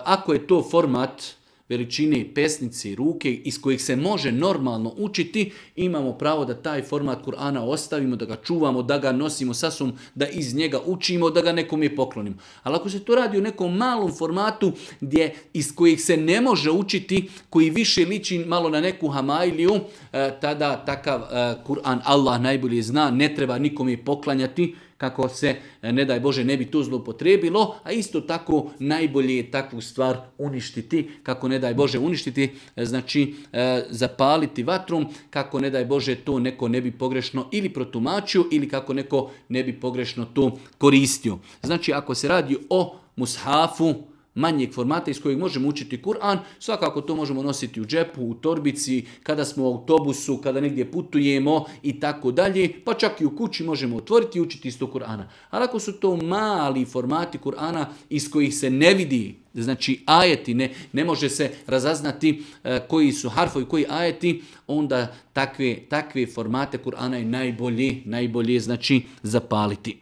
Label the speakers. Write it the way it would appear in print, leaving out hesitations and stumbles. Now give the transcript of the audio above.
Speaker 1: Ako je to format veličine pesnice i ruke iz kojih se može normalno učiti, imamo pravo da taj format Kur'ana ostavimo, da ga čuvamo, da ga nosimo sa sobom, da iz njega učimo, da ga nekome poklonimo. Ali ako se to radi u nekom malom formatu iz kojih se ne može učiti, koji više liči malo na neku hamailiju, tada takav Kur'an Allah najbolje zna, ne treba nikome poklanjati, kako se, ne daj Bože, ne bi to zloupotrebilo, a isto tako najbolje je takvu stvar uništiti, kako ne daj Bože uništiti, znači zapaliti vatrom, kako ne daj Bože to neko ne bi pogrešno ili protumačio ili kako neko ne bi pogrešno to koristio. Znači ako se radi o mushafu, manjeg formata iz kojeg možemo učiti Kur'an, svakako to možemo nositi u džepu, u torbici, kada smo u autobusu, kada negdje putujemo i tako dalje, pa čak i u kući možemo otvoriti i učiti isto Kur'ana. Ali ako su to mali formati Kur'ana iz kojih se ne vidi, znači ajeti, ne može se razaznati koji su harfovi, koji ajeti, onda takve formate Kur'ana je najbolje znači zapaliti.